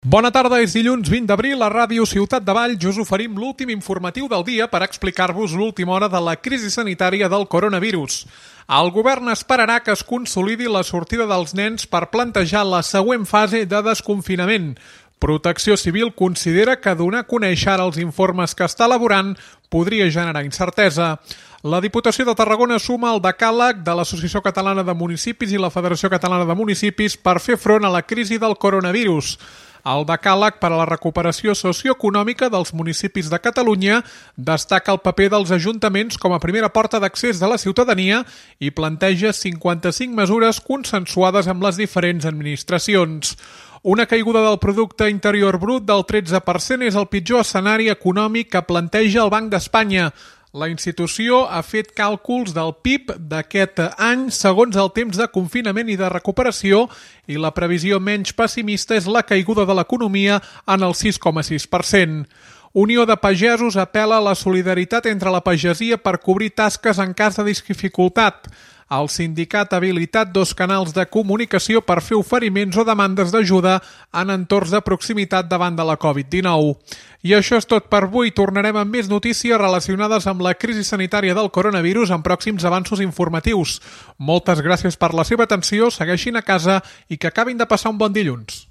Bona tarda, és dilluns 20 d'abril. A Ràdio Ciutat de Valls us oferim l'últim informatiu del dia per explicar-vos l'última hora de la crisi sanitària del coronavirus. El govern esperarà que es consolidi la sortida dels nens per plantejar la següent fase de desconfinament. Protecció Civil considera que donar a conèixer ara els informes que està elaborant podria generar incertesa. La Diputació de Tarragona suma el decàleg de l'Associació Catalana de Municipis i la Federació Catalana de Municipis per fer front a la crisi del coronavirus. El decàleg per a la recuperació socioeconòmica dels municipis de Catalunya destaca el paper dels ajuntaments com a primera porta d'accés de la ciutadania i planteja 55 mesures consensuades amb les diferents administracions. Una caiguda del producte interior brut del 13% és el pitjor escenari econòmic que planteja el Banc d'Espanya. La institució ha fet càlculs del PIB d'aquest any segons el temps de confinament i de recuperació i la previsió menys pessimista és la caiguda de l'economia en el 6,6%. Unió de Pagesos apela a la solidaritat entre la pagesia per cobrir tasques en cas de dificultat. El sindicat ha habilitat 2 canals de comunicació per fer oferiments o demandes d'ajuda en entorns de proximitat davant de la Covid-19. I això és tot per avui. Tornarem amb més notícies relacionades amb la crisi sanitària del coronavirus en pròxims avanços informatius. Moltes gràcies per la seva atenció, segueixin a casa i que acabin de passar un bon dilluns.